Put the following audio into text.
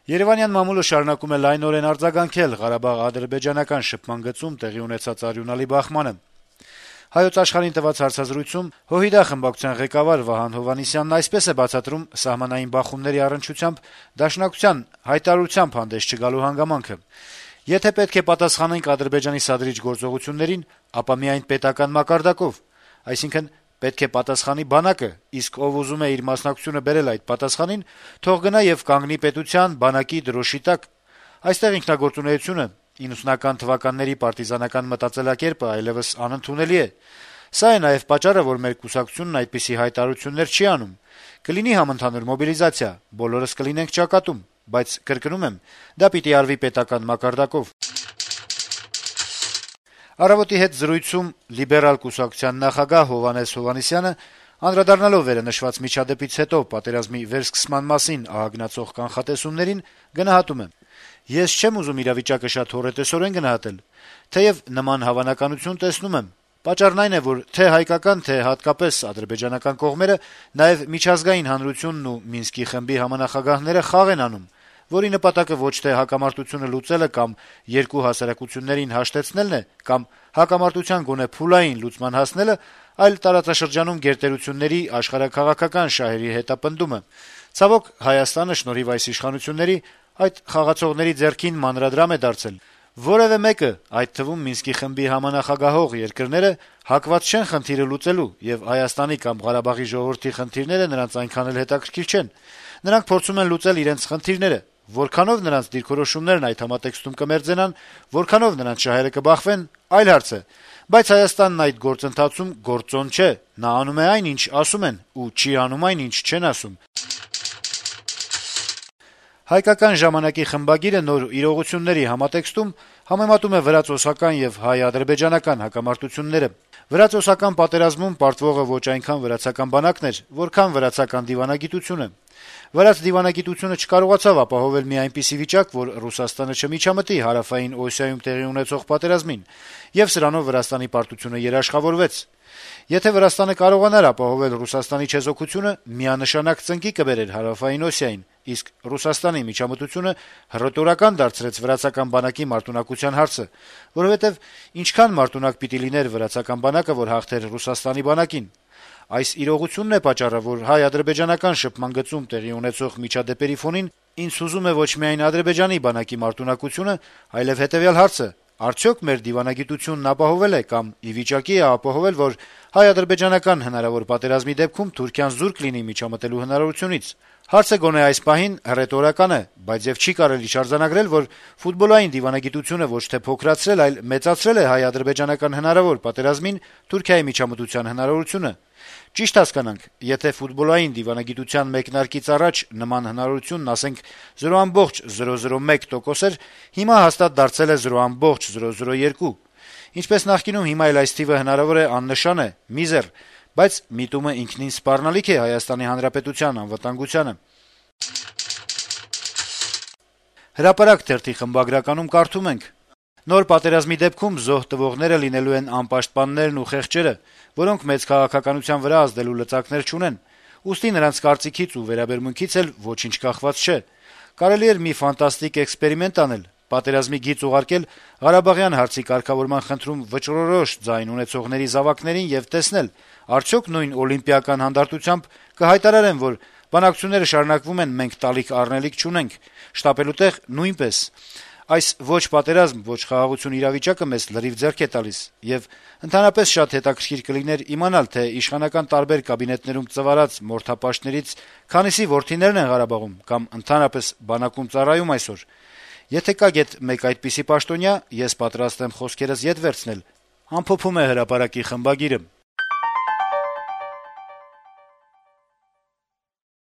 Երևանյան մամուլը շարունակում է լայնորեն արձագանքել Ղարաբաղ-ադրբեջանական շփման գծում տեղի ունեցած արյունալի բախմանը։ Հայոց Աշխարհին տված հարցազրույցում ՀՅԴ խմբակցության ղեկավար Վահան Հովհաննիսյանն այսպես է բացատրում սահմանային բախումների առնչությամբ Դաշնակցության հայտարարությամբ հանդես չգալու հանգամանքը. «Եթե պետք է պատասխանենք Ադրբեջանի սադրիչ գործողություններին, ապա միայն պետական մակարդակով, այսինքն պետք է պատասխանի բանակը, իսկ ով ուզում է իր մասնակցությունը բերել այդ պատասխանին, թող գնա եւ կանգնի պետության, բանակի դրոշի տակ։ Այստեղ ինքնագործունեությունը, 90-ական թվականների պարտիզանական մտածելակերպը այլեւս անընդունելի է։ Սա է նաեւ պատճառը, որ մեր կուսակցությունն այդպիսի հայտարարություններ չի անում։ Կլինի համընդհանուր մոբիլիզացիա, բոլորս կլինենք ճակատում, բայց կրկնում եմ, դա պիտի արվի պետական մակարդակով»։ «Առավոտ»-ի հետ զրույցում լիբերալ կուսակցության նախագահ Հովհաննես Հովհաննիսյանը անդրադառնալով վերանշված միջադեպից հետո պատերազմի վերսկսման մասին ահագնացող կանխատեսումներին գնահատում է. «Ես չեմ ուզում իրավիճակը շատ հոռետեսորեն գնահատել, թեեւ նման հավանականություն տեսնում եմ։ Պատճառն այն է, որ թե հայկական, թե հատկապես ադրբեջանական կողմերը նաեւ միջազգային հանրությունն ու Մինսկի խմբի համանախագահները խաղ են անում, որի նպատակը ոչ թե հակամարտությունը լուծելը կամ երկու հասարակություններին հաշտեցնելն է, կամ հակամարտության գոնե փուլային լուծման հասնելը, այլ տարածաշրջանում գերտերությունների աշխարհաքաղաքական շահերի հետապնդումը։ Ցավոք, Հայաստանը շնորհիվ այս իշխանությունների այդ խաղացողների ձեռքին մանրադրամ է դարձել։ Որեւէ մեկը, այդ թվում Մինսկի խմբի համանախագահող երկրները, հակված չեն խնդիրը լուծելու, եւ Հայաստանի կամ Ղարաբաղի ժողովրդի խնդիրները նրանց այնքան էլ հետաքրքիր չեն։ Նրանք փորձում են լուծել իրենց խնդիրները։ Որքանով նրանց դիրքորոշումներն այդ համատեքստում կմերձենան, որքանով նրանց շահերը կբախվեն, այլ հարց է։ Բայց Հայաստանն այդ գործընթացում գործոն չէ, նա անում է այն, ինչ ասում են, ու չի անում այն, ինչ չեն ասում»։ «Հայկական ժամանակ»-ի խմբագիրը նոր իրողությունների համատեքստում համեմատում է վրաց-օսական եւ հայ-ադրբեջանական հակամարտությունները։ Վրաց-օսական պատերազմում պարտվողը ոչ այնքան վրացական բանակն էր, որքան վրացական դիվանագիտությունը։ Վրաց դիվանագիտությունը չկարողացավ ապահովել մի այնպիսի վիճակ, որ Ռուսաստանը չմիջամտի հարավային Օսիայում տեղի ունեցող պատերազմին, եւ սրանով Վրաստանի պարտությունը երաշխավորվեց։ Եթե Վրաստանը կարողանար ապահովել Ռուսաստանի չեզոքությունը, միանշանակ ծնկի կբերեր հարավային Օսիային, իսկ Ռուսաստանի միջամտությունը հռետորական դարձրեց վրացական բանակի մարտունակության հարցը, որովհետեւ ինչքան մարտունակ պիտի լիներ վրացական բանակը, որ հաղթեր Ռուսաստանի բանակին։ Այս իրողությունն է պատճառը, որ հայ-ադրբեջանական շփման գծում տեղի ունեցող միջադեպերի ֆոնին ինձ հուզում է ոչ միայն Ադրբեջանի բանակի մարտունակությունը, այլև հետեւյալ հարցը. արդյոք մեր դիվանագիտությունն ապահովել է կամ ի վիճակի է ապահովել, որ հայ-ադրբեջանական հնարավոր պատերազմի դեպքում Թուրքիան զուրկ լինի միջամտելու հնարավորությունից։ Հարցը գոնե այս պահին հռետորական է, բայց եւ չի կարելի շարժանագրել, որ ֆուտբոլային դիվանագիտությունը ոչ թե փոքրացրել, այլ մեծացրել է հայ-ադրբեջանական հնարավոր պատերազմին Թուրքիայի միջամտության հնարավորությունը։ Ճիշտ հասկանանք, եթե ֆուտբոլային դիվանագիտության մեկնարկից առաջ նման հնարավորությունն, ասենք, 0.001% էր, հիմա հաստատ դարձել է 0.002%։ Ինչպես նախկինում, հիմա էլ այս թիվը հնարավոր է աննշան է, միզեր, բայց միտումը ինքնին սպառնալիք է Հայաստանի Հանրապետության անվտանգությանը։ «Հրապարակ» թերթի խմբագրականում կարդում ենք. «Նոր պատերազմի դեպքում զոհ տվողները լինելու են անպաշտպաններն ու խեղճերը, որոնք մեծ քաղաքականության վրա ազդելու լծակներ չունեն, ուստի նրանց կարծիքից ու վերաբերմունքից էլ ոչինչ կախված չէ։ Կարելի էր մի ֆանտաստիկ էքսպերիմենտ անել, պատերազմի գիծ ուղարկել Ղարաբաղյան հարցի կարգավորման խնդրում վճռորոշ ձայն ունեցողների զավակներին եւ տեսնել, արդյոք նույն օլիմպիական հանդարտությամբ կհայտարարեն, որ բանակցությունները շարունակվում են, մենք տալիք առնելիք չունենք, շտապելու տեղ նույնպես։ Այս ոչ պատերազմ, ոչ խաղաղություն իրավիճակը մեզ լրիվ ձեռք է տալիս, եւ ընդհանրապես շատ հետաքրքիր կլիներ իմանալ, թե իշխանական տարբեր կաբինետներում ծվարած մորթապաշտներից քանիսի որդիներն են Ղարաբաղում կամ ընդհանրապես բանակում ծառայում այսօր։ Եթե կա գեթ մեկ այդպիսի պաշտոնյա, ես պատրաստ եմ խոսքերս ետ վերցնել», ամփոփում է «Հրապարակ»-ի խմբագիրը։